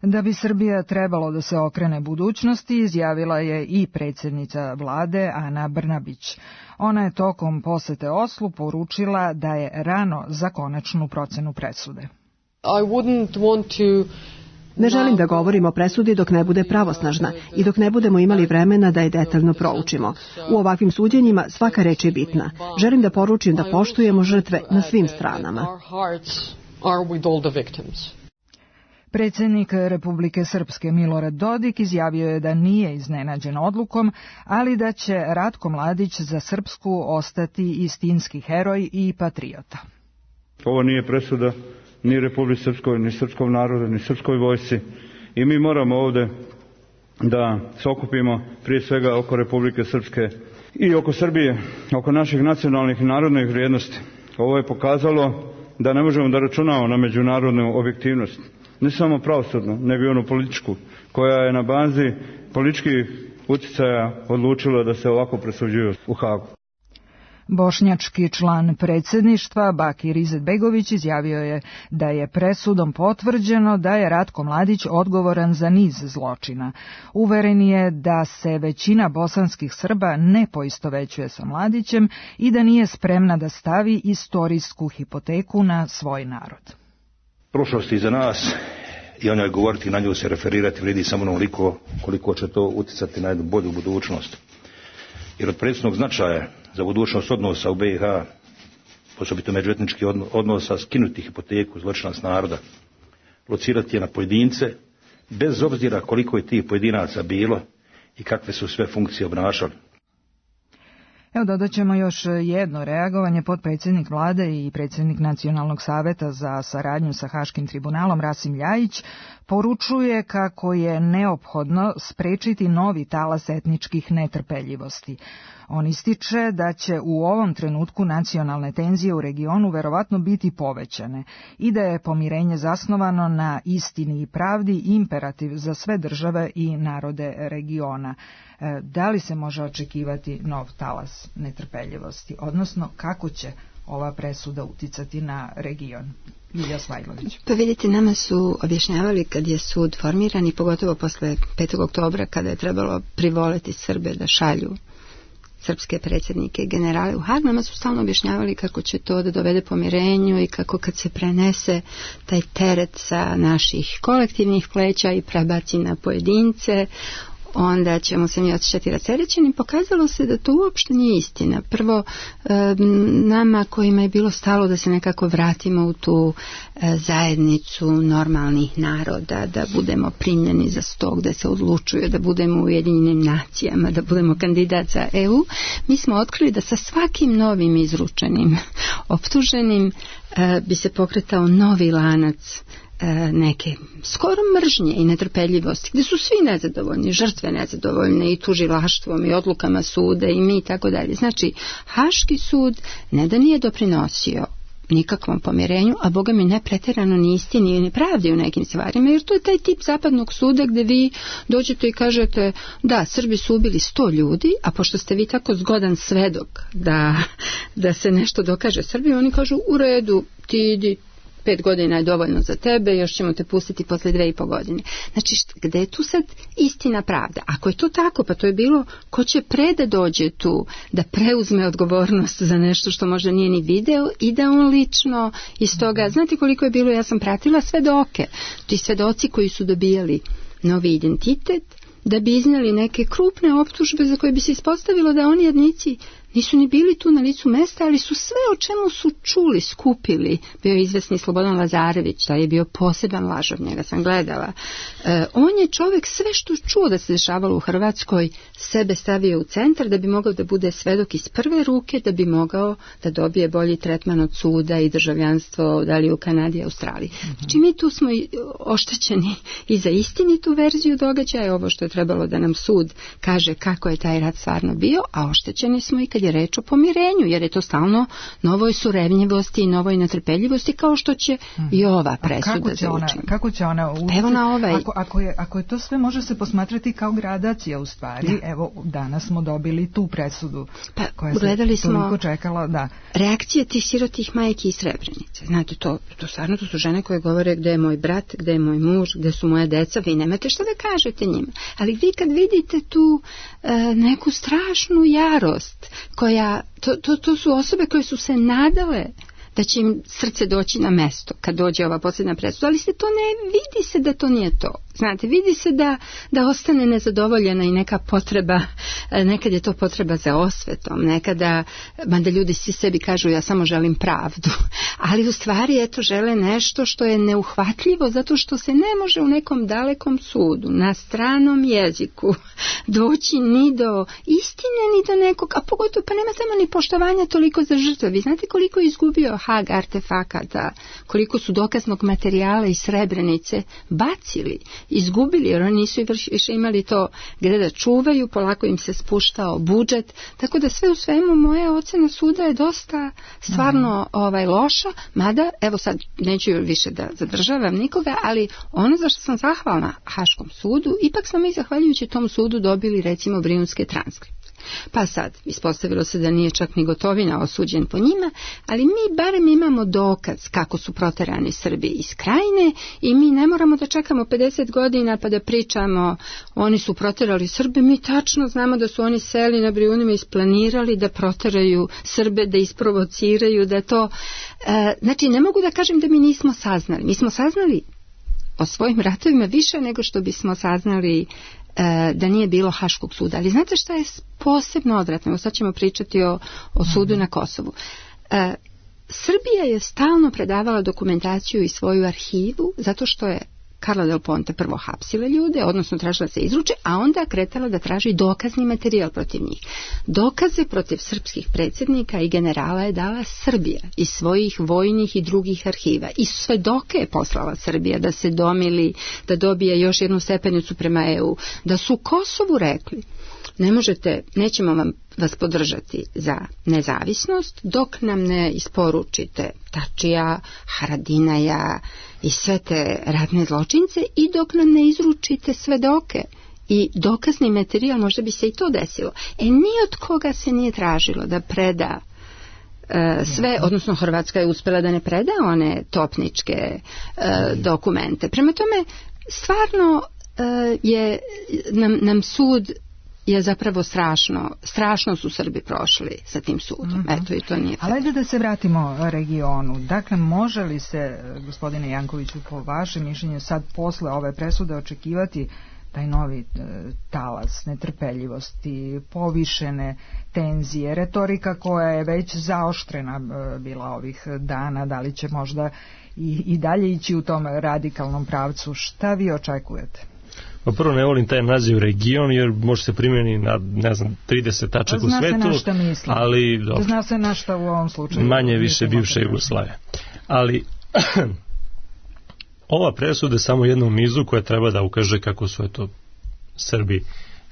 Da bi Srbija trebalo da se okrene budućnosti, izjavila je i predsjednica vlade Ana Brnabić. Ona je tokom posete Oslu poručila da je rano za konačnu procenu presude. Ne želim da govorim o presudi dok ne bude pravosnažna i dok ne budemo imali vremena da je detaljno proučimo. U ovakvim suđenjima svaka reč je bitna. Želim da poručim da poštujemo žrtve na svim stranama. Predsjednik Republike Srpske Milorad Dodik izjavio je da nije iznenađen odlukom, ali da će Ratko Mladić za Srpsku ostati istinski heroj i patriota. Ovo nije presuda ni Republike Srpskoj, ni srpskom narodu, ni srpskoj vojsci i mi moramo ovde da se okupimo prije svega oko Republike Srpske i oko Srbije, oko naših nacionalnih i narodnih vrijednosti. Ovo je pokazalo da ne možemo da računamo na međunarodnu objektivnost, ne samo pravosudnu, nego i onu političku, koja je na bazi političkih uticaja odlučila da se ovako presuđuju u Hagu. Bošnjački član predsjedništva Bakir Izetbegović izjavio je da je presudom potvrđeno da je Ratko Mladić odgovoran za niz zločina. Uveren je da se većina bosanskih Srba ne poistovećuje sa Mladićem i da nije spremna da stavi istorijsku hipoteku na svoj narod. Prošlost iza nas i o njoj govoriti, na nju se referirati vredi samo onoliko koliko će to uticati na jednu bolju budućnost. Jer od presudnog značaja za budućnost odnosa u BiH, osobito međuetničkih odnosa, skinuti hipoteku zločinac naroda, locirati je na pojedince, bez obzira koliko je tih pojedinaca bilo i kakve su sve funkcije obnašali. Evo, dodat ćemo još jedno reagovanje. Potpredsjednik vlade i predsjednik Nacionalnog saveta za saradnju sa Haškim tribunalom Rasim Ljajić poručuje kako je neophodno sprečiti novi talas etničkih netrpeljivosti. On ističe da će u ovom trenutku nacionalne tenzije u regionu verovatno biti povećane i da je pomirenje zasnovano na istini i pravdi imperativ za sve države i narode regiona. Da li se može očekivati nov talas netrpeljivosti, odnosno kako će ova presuda uticati na region? Ilija Svajlović. Pa vidite, nama su objašnjavali kad je sud formiran i pogotovo posle 5. oktobra kada je trebalo privoleti Srbe da šalju srpske predsjednike i generale u Hag, nama su stalno objašnjavali kako će to da dovede pomirenju i kako kad se prenese taj teret sa naših kolektivnih pleća i prebaci na pojedince, onda ćemo se mi osjećati rasterećeni. Pokazalo se da to uopšte nije istina. Prvo, nama kojima je bilo stalo da se nekako vratimo u tu zajednicu normalnih naroda, da budemo primljeni za sto, da se odlučuje, da budemo u Ujedinjenim nacijama, da budemo kandidat za EU, mi smo otkrili da sa svakim novim izručenim optuženim bi se pokretao novi lanac neke skoro mržnje i netrpeljivosti, gdje su svi nezadovoljni, žrtve nezadovoljne i tužilaštvom i odlukama suda i mi i tako dalje. Znači, Haški sud ne da nije doprinosio nikakvom pomirenju, a boga mi ne pretjerano ni istini ni pravdi u nekim stvarima, jer to je taj tip zapadnog suda gdje vi dođete i kažete da, Srbi su ubili 100 ljudi, a pošto ste vi tako zgodan svedok da se nešto dokaže Srbi, oni kažu u redu, ti idi, 5 godina je dovoljno za tebe, još ćemo te pustiti posle 2,5 godine. Znači, gde je tu sad istina pravda? Ako je to tako, pa to je bilo ko će da dođe tu, da preuzme odgovornost za nešto što možda nije ni video i da on lično iz toga, znate koliko je bilo, ja sam pratila svedoke, ti svedoci koji su dobijali novi identitet, da bi iznijeli neke krupne optužbe za koje bi se ispostavilo da oni jednici nisu ni bili tu na licu mesta, ali su sve o čemu su čuli, skupili. Bio je izvesni Slobodan Lazarević, taj je bio poseban lažov, njega sam gledala. On je čovjek sve što čuo da se dešavalo u Hrvatskoj sebe stavio u centar da bi mogao da bude svedok iz prve ruke, da bi mogao da dobije bolji tretman od suda i državljanstvo da li u Kanadi i Australiji. Znači mi tu smo oštećeni i za istinitu verziju događaja, ovo što je trebalo da nam sud kaže kako je taj rat stvarno bio, a oštećeni smo i kad je reč o pomirenju, jer je to stalno novoj surevnjivosti i novoj netrpeljivosti, kao što će i ova presuda zaučiti. Kako će ona uticati? Evo na ovaj. Ako je to sve, može se posmatrati kao gradacija u stvari. Da. Evo, danas smo dobili tu presudu koja gledali se toliko čekala. Da. Reakcije tih sirotih majki iz Srebrenice. Znate, to stvarno, to su žene koje govore gde je moj brat, gde je moj muž, gde su moje deca, vi nemate šta da kažete njima. Ali vi kad vidite tu neku strašnu jarost koja, to su osobe koje su se nadale da će im srce doći na mesto kad dođe ova posljedna presuda, ali se to ne vidi se da to nije to. Znate, vidi se da ostane nezadovoljena i neka potreba, nekad je to potreba za osvetom, nekada, mada ljudi svi sebi kažu ja samo želim pravdu, ali u stvari eto žele nešto što je neuhvatljivo zato što se ne može u nekom dalekom sudu, na stranom jeziku doći ni do istine, ni do nekog, a pogotovo pa nema tamo ni poštovanja toliko za žrtve. Vi znate koliko je izgubio Hag artefakata, koliko su dokaznog materijala iz Srebrenice bacili, izgubili, jer oni nisu više imali to gdje da čuvaju, polako im se spuštao budžet, tako da sve u svemu moja ocena suda je dosta stvarno loša, mada, evo sad neću više da zadržavam nikoga, ali ono za što sam zahvalna Haškom sudu, ipak smo mi zahvaljujući tom sudu dobili recimo Brijunske transkripte. Pa sad, ispostavilo se da nije čak ni Gotovina osuđen po njima, ali mi barem imamo dokaz kako su proterani Srbi iz Krajine i mi ne moramo da čekamo 50 godina pa da pričamo oni su proterali Srbe, mi tačno znamo da su oni seli na Brijunima isplanirali da proteraju Srbe, da isprovociraju, da to... znači, ne mogu da kažem da mi nismo saznali. Mi smo saznali o svojim ratovima više nego što bismo saznali da nije bilo Haškog suda. Ali znate šta je posebno odvratno? Sad ćemo pričati o sudu na Kosovu. Srbija je stalno predavala dokumentaciju i svoju arhivu zato što je Carla Del Ponte prvo hapsila ljude, odnosno tražila se izruče, a onda kretala da traži dokazni materijal protiv njih. Dokaze protiv srpskih predsjednika i generala je dala Srbija iz svojih vojnih i drugih arhiva. I svedoke je poslala Srbija da se domili, da dobije još jednu stepenicu prema EU. Da su Kosovu rekli ne možete, nećemo vas podržati za nezavisnost dok nam ne isporučite Tačija, Haradinaja i sve te ratne zločince i dok nam ne izručite svedoke i dokazni materijal, možda bi se i to desilo. Ni od koga se nije tražilo da preda sve, odnosno Hrvatska je uspjela da ne preda one topničke dokumente. Prema tome, stvarno je nam sud je zapravo strašno su Srbi prošli sa tim sudom. Eto, i to nije. Ali ajde da se vratimo regionu. Dakle, može li se, gospodine Jankoviću, po vašem mišljenju sad posle ove presude očekivati taj novi talas netrpeljivosti, povišene tenzije, retorika koja je već zaoštrena bila ovih dana, da li će možda i dalje ići u tom radikalnom pravcu? Šta vi očekujete? Pa prvo, ne volim taj naziv region jer može se primjeni na, ne znam, 30 tačaka u svetu, ali dobro. Zna se na šta u ovom slučaju. Manje više bivša Jugoslavija. Ali ova presuda je samo jedna u nizu koja treba da ukaže kako su Srbi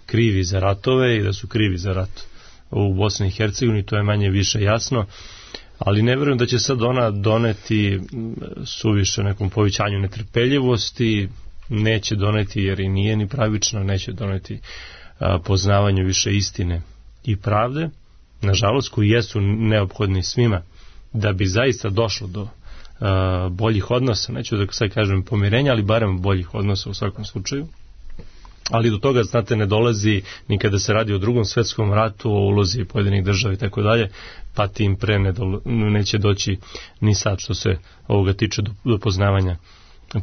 krivi za ratove i da su krivi za rat u Bosni i Hercegovini, to je manje više jasno, ali ne vjerujem da će sad ona doneti suviše nekom povećanju netrpeljivosti, neće doneti jer i nije ni pravično, neće doneti poznavanju više istine i pravde, nažalost, koji jesu neophodni svima da bi zaista došlo do boljih odnosa, neću da sad kažem pomirenja, ali barem boljih odnosa u svakom slučaju. Ali do toga, znate, ne dolazi ni kada se radi o Drugom svetskom ratu, o ulozi pojedinih država i tako dalje, pa tim pre neće doći ni sad što se ovoga tiče do poznavanja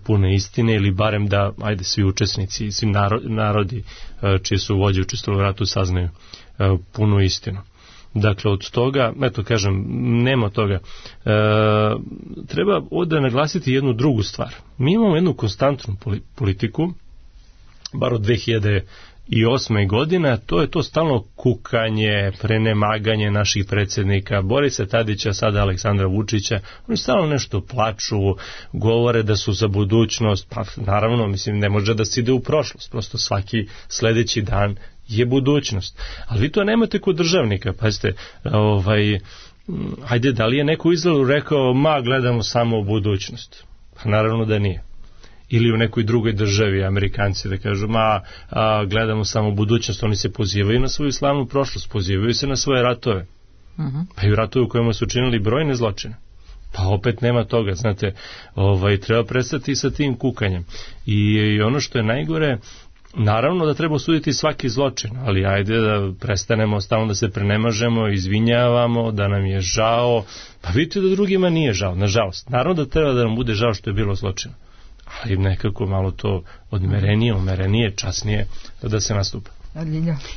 pune istine, ili barem da, ajde, svi učesnici i svi narodi čije su vođe učestvovali u ratu saznaju punu istinu. Dakle, od toga, eto kažem, nema toga. Treba ovdje naglasiti jednu drugu stvar. Mi imamo jednu konstantnu politiku, bar od 2008. godine, to je to stalno kukanje, prenemaganje naših predsjednika, Borisa Tadića, sada Aleksandra Vučića. Oni stalno nešto plaču, govore da su za budućnost, pa naravno, mislim, ne može da se ide u prošlost, prosto svaki sljedeći dan je budućnost. Ali vi to nemate kod državnika, pazite, hajde, da li je neko u Izraelu rekao, gledamo samo u budućnost? Pa naravno da nije. Ili u nekoj drugoj državi, Amerikanci da kažu, gledamo samo budućnost, oni se pozivaju na svoju slavnu prošlost, pozivaju se na svoje ratove. Pa i u ratove u kojima su učinili brojne zločine. Pa opet nema toga, znate, treba prestati sa tim kukanjem. I ono što je najgore, naravno da treba osuditi svaki zločin, ali ajde da prestanemo stalno da se prenemažemo, izvinjavamo, da nam je žao. Pa vidite da drugima nije žao, nažalost. Naravno da treba da nam bude žao što je bilo zločina, ali nekako malo to odmerenije, umerenije, časnije da se nastupa.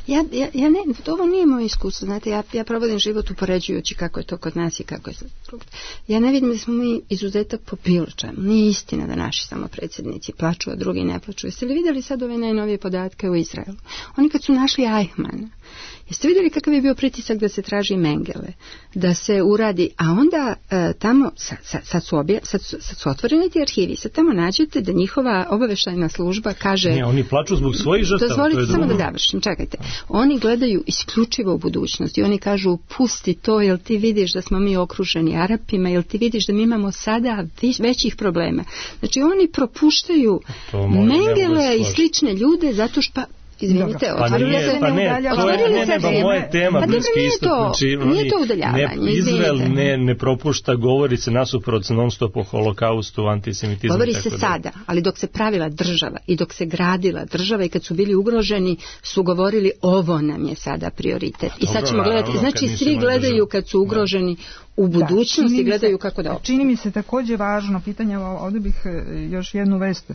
Ja ne, ovo nije moje iskustvo, znate, ja provodim život upoređujući kako je to kod nas i kako je drugdje. Ja ne vidim da smo mi izuzetak po bilo čemu. Nije istina da naši samo predsjednici plaču, a drugi ne plaču. Jeste li vidjeli sad ove najnovije podatke u Izraelu? Oni kad su našli Eichmana, jeste vidjeli kakav je bio pritisak da se traži Mengele, da se uradi, a onda tamo, sad su otvoreni ti arhivi, sad tamo nađete da njihova obavještajna služba kaže... Ne, oni plaču zbog svojih žrtava. Dozvolite samo da završim, čekajte. Oni gledaju isključivo u budućnost i oni kažu, pusti to, jel ti vidiš da smo mi okruženi Arapima, jel ti vidiš da mi imamo sada većih problema. Znači oni propuštaju Mengele i slične ljude zato što... Izvinite, otvorili se moje tema, Bliski istok, nije to udaljavanje. Izrael ne propušta, govori se nasuprot non stop o holokaustu, antisemitizmu. Govori se sada, ali dok se pravila država i dok se gradila država i kad su bili ugroženi, su govorili ovo nam je sada prioritet. I sad ćemo gledati, znači svi gledaju kad su ugroženi u budućnosti, gledaju kako da... Čini mi se također važno pitanje, ovdje bih još jednu vest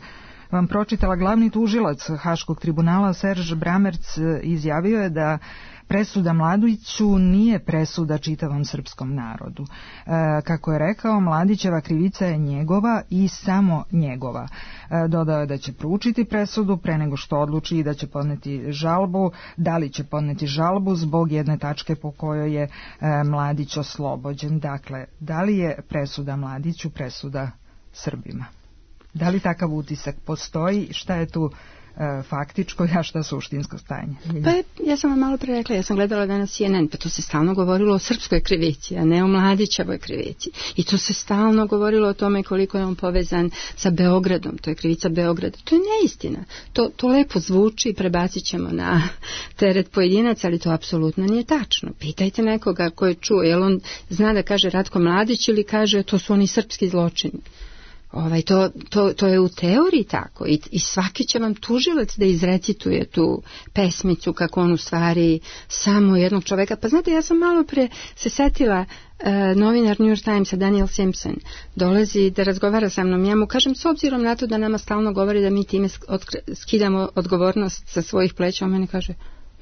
vam pročitala. Glavni tužilac Haškog tribunala Serž Bramerc izjavio je da presuda Mladiću nije presuda čitavom srpskom narodu. Kako je rekao, Mladićeva krivica je njegova i samo njegova. Dodao je da će proučiti presudu pre nego što odluči i da će podneti žalbu. Da li će podneti žalbu zbog jedne tačke po kojoj je Mladić oslobođen. Dakle, da li je presuda Mladiću presuda Srbima? Da li takav utisak postoji? Šta je tu faktičko, a šta suštinsko stanje? Pa ja sam vam malo pre rekla, ja sam gledala danas CNN, pa to se stalno govorilo o srpskoj krivici, a ne o Mladićevoj krivici. I to se stalno govorilo o tome koliko je on povezan sa Beogradom, to je krivica Beograda. To je neistina. To lepo zvuči, prebacit ćemo na teret pojedinaca, ali to apsolutno nije tačno. Pitajte nekoga ko je čuo, jel on zna da kaže Ratko Mladić ili kaže to su oni srpski zločini. To je u teoriji tako i svaki će vam tužilac da izrecituje tu pesmicu kako on u stvari samo jednog čoveka. Pa znate, ja sam malo pre se setila, novinar New York Timesa Daniel Simpson dolazi da razgovara sa mnom. Ja mu kažem, s obzirom na to da nama stalno govori da mi time skidamo odgovornost sa svojih pleća, on meni kaže,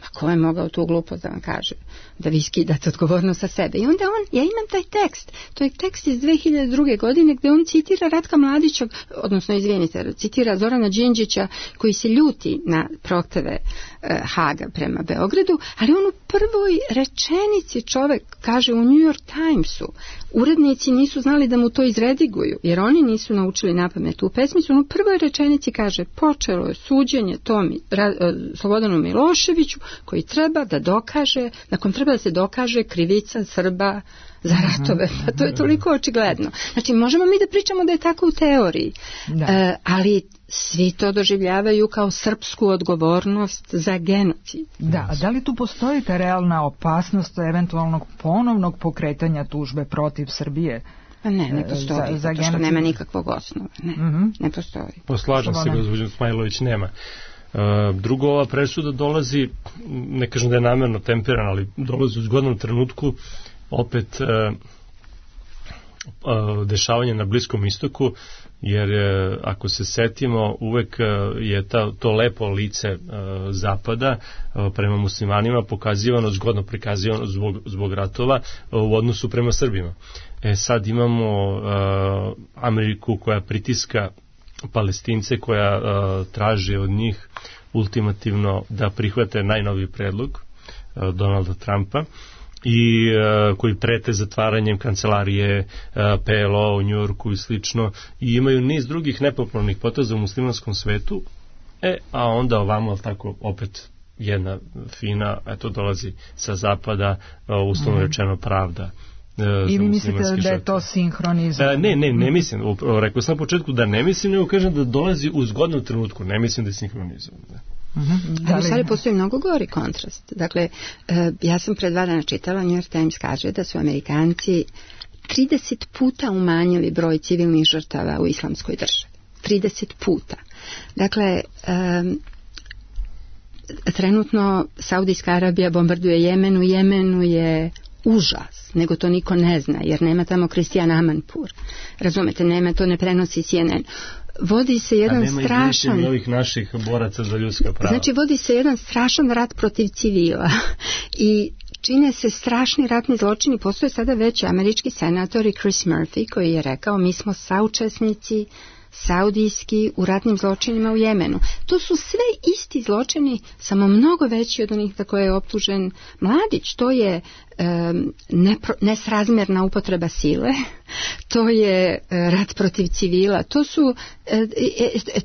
ma ko je mogao tu glupost da vam kaže da vi skidate odgovornost sa sebe. I onda ja imam taj tekst, to je tekst iz 2002. godine gdje on citira Ratka Mladića, odnosno izvinite, citira Zorana Đinđića koji se ljuti na prohteve Haga prema Beogradu, ali on u prvoj rečenici čovek kaže u New York Timesu, urednici nisu znali da mu to izrediguju, jer oni nisu naučili napamet tu pesmicu, on u prvoj rečenici kaže, počelo je suđenje Slobodanu Miloševiću koji treba da dokaže, nakon treba da se dokaže krivica Srba za ratove. Pa to je toliko očigledno. Znači, možemo mi da pričamo da je tako u teoriji, ali svi to doživljavaju kao srpsku odgovornost za genocid. Da, a da li tu postoji ta realna opasnost eventualnog ponovnog pokretanja tužbe protiv Srbije? Pa ne postoji, zato što nema nikakvog osnova. Ne postoji. Poslažem se, gospođo Smajlović, nema. Drugo, ova presuda dolazi, ne kažem da je namjerno temperana, ali dolazi u zgodnom trenutku opet dešavanje na Bliskom istoku, jer ako se setimo, uvek je to lepo lice Zapada prema muslimanima pokazivano, zgodno prikazivano zbog ratova u odnosu prema Srbima. Sad imamo Ameriku koja pritiska Palestince, koja traži od njih ultimativno da prihvate najnoviji predlog Donalda Trumpa i koji prete zatvaranjem kancelarije PLO u Njujorku i slično, i imaju niz drugih nepopularnih poteza u muslimanskom svetu, a onda ovamo tako opet jedna fina, dolazi sa zapada, uslovno rečeno pravda. I vi mislite da je to sinhronizam? Ne mislim. Rekao sam na početku da ne mislim, nego kažem da dolazi u zgodnom trenutku. Ne mislim da je sinhronizam. Ali u stvari postoji mnogo gori kontrast. Dakle, ja sam pred 2 dana čitala, New York Times kaže da su Amerikanci 30 puta umanjili broj civilnih žrtava u islamskoj državi. 30 puta. Dakle, trenutno Saudijska Arabija bombarduje Jemen. U Jemenu je užas, nego to niko ne zna, jer nema tamo Kristijan Amanpur. Razumete, nema, to ne prenosi CNN. Vodi se jedan strašan... ovih naših boraca za ljudska prava. Znači, vodi se jedan strašan rat protiv civila i čine se strašni ratni zločini. Postoje sada već američki senator i Chris Murphy koji je rekao, mi smo saučesnici saudijski u ratnim zločinima u Jemenu. To su sve isti zločini, samo mnogo veći od onih za koje je optužen Mladić. To je nesrazmjerna upotreba sile, to je rat protiv civila, to su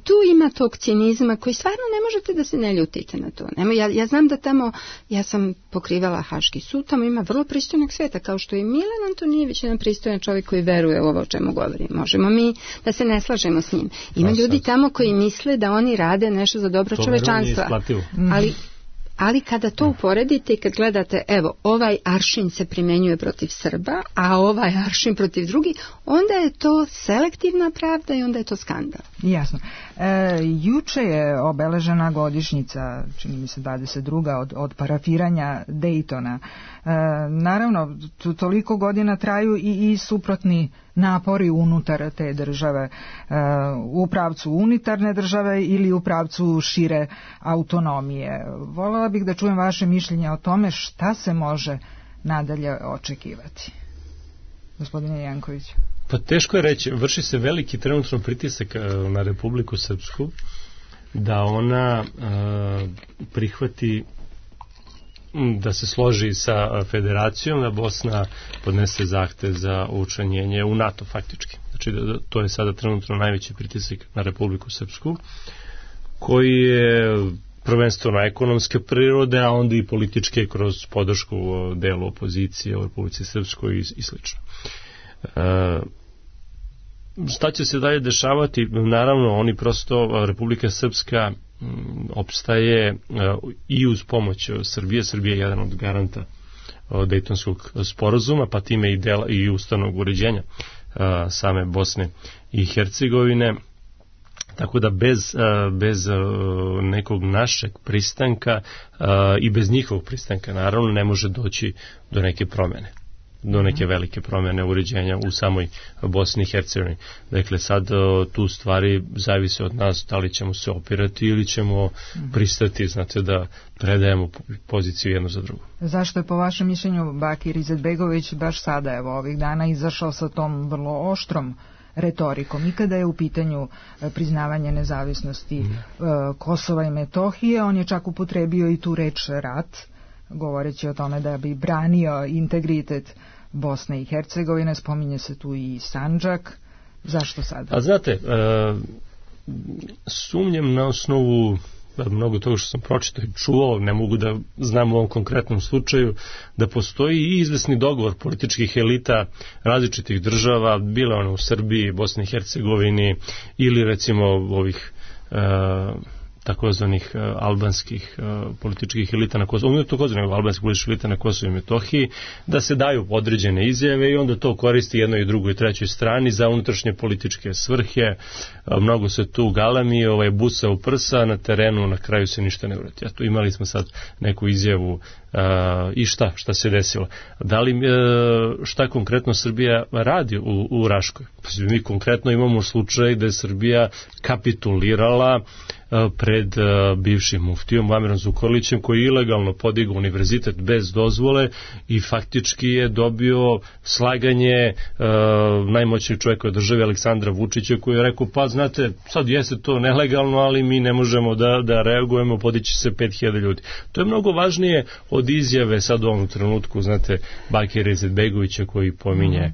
tu ima tog cinizma koji stvarno ne možete da se ne ljutite na to. Ja znam da tamo, ja sam pokrivala Haški sud, tamo ima vrlo pristojnog sveta, kao što je Milan Antonijević, jedan pristojan čovjek koji veruje u ovo o čemu govorim. Možemo mi da se ne slažemo s njim. Ima ljudi tamo koji misle da oni rade nešto za dobro čovečanstva. Ali kada to uporedite i kad gledate, evo, ovaj aršin se primjenjuje protiv Srba, a ovaj aršin protiv drugih, onda je to selektivna pravda i onda je to skandal. Jasno. Juče je obeležena godišnjica, čini mi se 22. od parafiranja Daytona. Naravno, toliko godina traju i suprotni napori unutar te države, u pravcu unitarne države ili u pravcu šire autonomije. Voljela bih da čujem vaše mišljenje o tome šta se može nadalje očekivati. Gospodine Janković. Pa teško je reći, vrši se veliki trenutno pritisak na Republiku Srpsku da ona prihvati, da se složi sa federacijom, da Bosna podnese zahtev za učlanjenje u NATO faktički. Znači to je sada trenutno najveći pritisak na Republiku Srpsku. koji je prvenstveno ekonomske prirode, a onda i političke kroz podršku delu opozicije u Republici Srpskoj i slično. Šta će se dalje dešavati? Naravno, oni prosto, Republika Srpska opstaje i uz pomoć Srbije. Srbije je jedan od garanta Dejtonskog sporazuma, pa time i ustavnog uređenja same Bosne i Hercegovine. Tako da bez nekog našeg pristanka i bez njihovog pristanka naravno ne može doći do neke promjene, do neke velike promjene uređenja u samoj Bosni i Hercegovini. Dakle, sad tu stvari zavise od nas da li ćemo se opirati ili ćemo pristati, znate, da predajemo poziciju jedno za drugo. Zašto je po vašem mišljenju Bakir Izetbegović baš sada, evo, ovih dana izašao sa tom vrlo oštrom retorikom i kada je u pitanju priznavanje nezavisnosti Kosova i Metohije? On je čak upotrebio i tu reč rat, govoreći o tome da bi branio integritet Bosne i Hercegovine, spominje se tu i Sandžak. Zašto sada? A znate, sumnjam na osnovu mnogo toga što sam pročitao i čuo, ne mogu da znam u ovom konkretnom slučaju, da postoji i izvesni dogovor političkih elita različitih država, bile one u Srbiji, Bosni i Hercegovini ili recimo ovih takozvanih albanskih političkih elita na Kosovu, ne takozvanih albanskih političkih elita na Kosovu i Metohiji, da se daju određene izjave i onda to koristi jednoj i drugoj i trećoj strani za unutrašnje političke svrhe. Mnogo se tu galami, busa u prsa, na terenu na kraju se ništa ne uradi. Tu imali smo sad neku izjavu i šta se desilo. Da li, šta konkretno Srbija radi u Raškoj? Pa mi konkretno imamo slučaj da je Srbija kapitulirala pred bivšim muftijom Muamerom Zukorlićem, koji je ilegalno podigao univerzitet bez dozvole i faktički je dobio slaganje najmoćnijeg čovjeka u državi Aleksandra Vučića, koji je rekao, pa znate, sad jeste to nelegalno, ali mi ne možemo da reagujemo, podići se 5000 ljudi. To je mnogo važnije od izjave sad u ovom trenutku, znate, Bakira Izetbegovića koji pominje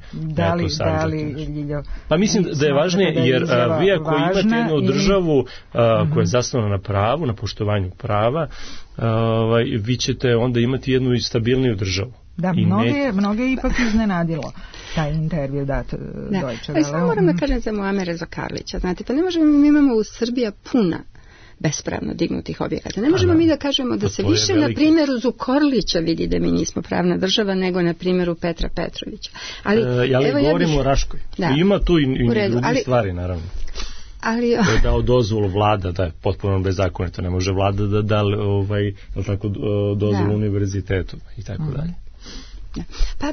pa mislim da je važnije, jer vi ako imate jednu državu koja je zasnovana na pravu, na poštovanju prava, vi ćete onda imati jednu i stabilniju državu. Da, mnoge je ipak iznenadilo taj intervju dat Deutsche Welle. Samo moram da kažem za Muamera Zukorlića. Znate, pa ne možemo, mi imamo u Srbiji puna bespravno dignutih objekata. Ne možemo mi da kažemo da se više na primjeru Zukorlića vidi da mi nismo pravna država nego na primjeru Petra Petrovića. Ali govorimo o Raškoj. Ima tu i drugi stvari, naravno. To je dao dozvolu vlada, da je potpuno bezakonito, ne može vlada da da dozvolu univerzitetu i tako dalje. Pa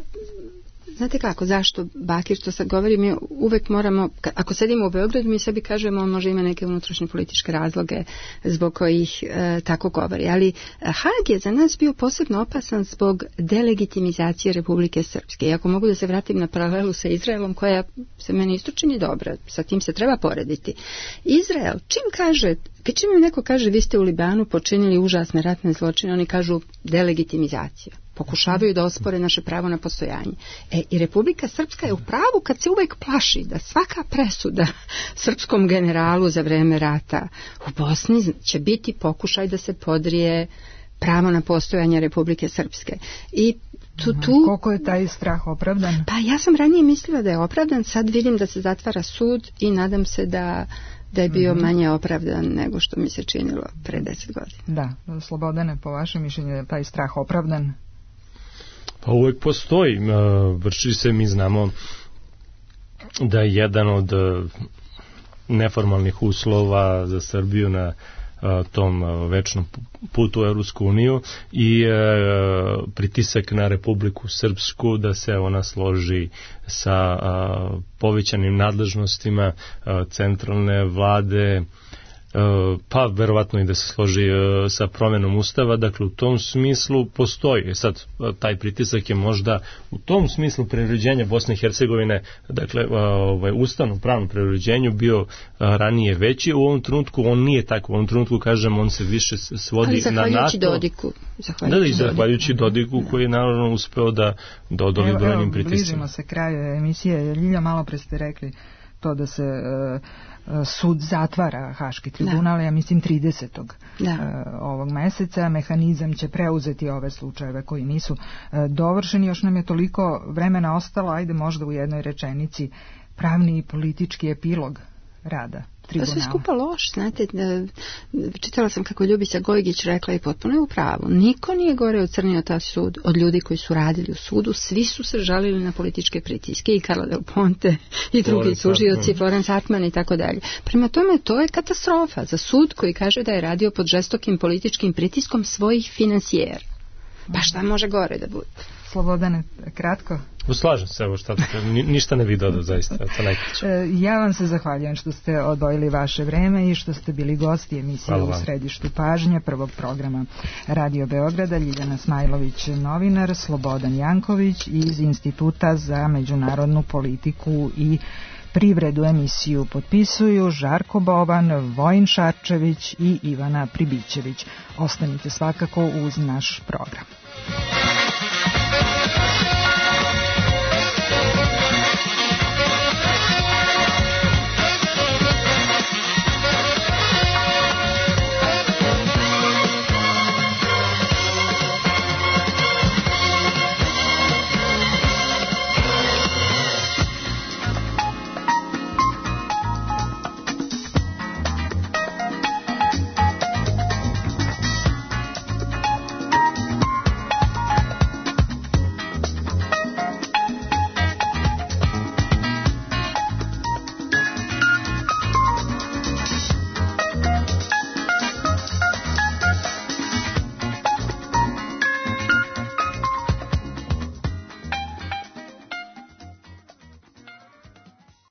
znate kako, zašto Bakir, to sad govori, mi uvek moramo, ako sedimo u Beogradu, mi sebi kažemo on može ima neke unutrašnje političke razloge zbog kojih tako govori, ali Hag je za nas bio posebno opasan zbog delegitimizacije Republike Srpske. I ako mogu da se vratim na paralelu sa Izraelom, koja se meni isto čini dobra, sa tim se treba porediti. Izrael, čim im neko kaže vi ste u Libanu počinili užasne ratne zločine, oni kažu delegitimizacija. Pokušavaju da ospore naše pravo na postojanje. I Republika Srpska je u pravu kad se uvek plaši da svaka presuda srpskom generalu za vreme rata u Bosni će biti pokušaj da se podrije pravo na postojanje Republike Srpske. I koliko je taj strah opravdan? Pa ja sam ranije mislila da je opravdan, sad vidim da se zatvara sud i nadam se da je bio manje opravdan nego što mi se činilo pre 10 godina. Da, Slobodane, po vašem mišljenju je taj strah opravdan? Pa uvek postoji. Vrši se, mi znamo da je jedan od neformalnih uslova za Srbiju na tom večnom putu u Evropsku uniju i pritisak na Republiku Srpsku da se ona složi sa povećanim nadležnostima centralne vlade, pa verovatno i da se složi sa promjenom ustava. Dakle, u tom smislu postoji. Sad, taj pritisak je možda u tom smislu preuređenja Bosne i Hercegovine, dakle, ustavnom pravnom preuređenju bio ranije veći. U ovom trenutku on nije tako. U ovom trenutku, kažem, on se više svodi na NATO. Dodiku. Zahvaljujući Dodiku, koji je naravno uspeo da odoli brojnim pritiscima. Bližimo se kraju emisije. Ljilja, malo pre ste rekli to da se sud zatvara Haški tribunal, ja mislim 30. Ovog meseca. Mehanizam će preuzeti ove slučajeve koji nisu dovršeni. Još nam je toliko vremena ostalo, ajde možda u jednoj rečenici pravni i politički epilog rada tribunala. To sve skupa loš, znate, čitala sam kako Ljubica Gojgić rekla i potpuno je u pravu. Niko nije gore ocrnio taj sud od ljudi koji su radili u sudu, svi su se žalili na političke pritiske, i Carla Del Ponte i drugi tužioci, Florence Hartman i tako dalje. Prema tome, to je katastrofa za sud koji kaže da je radio pod žestokim političkim pritiskom svojih finansijera. Pa šta može gore da bude? Slobodane, kratko. Slažem se, evo šta ništa ne bi dodao, zaista. Ja vam se zahvaljujem što ste odvojili vaše vreme i što ste bili gosti emisije U središtu pažnje prvog programa Radio Beograda. Ljiljana Smajlović, novinar, Slobodan Janković iz Instituta za međunarodnu politiku i privredu. Emisiju potpisuju Žarko Boban, Vojin Šarčević i Ivana Pribićević. Ostanite svakako uz naš program.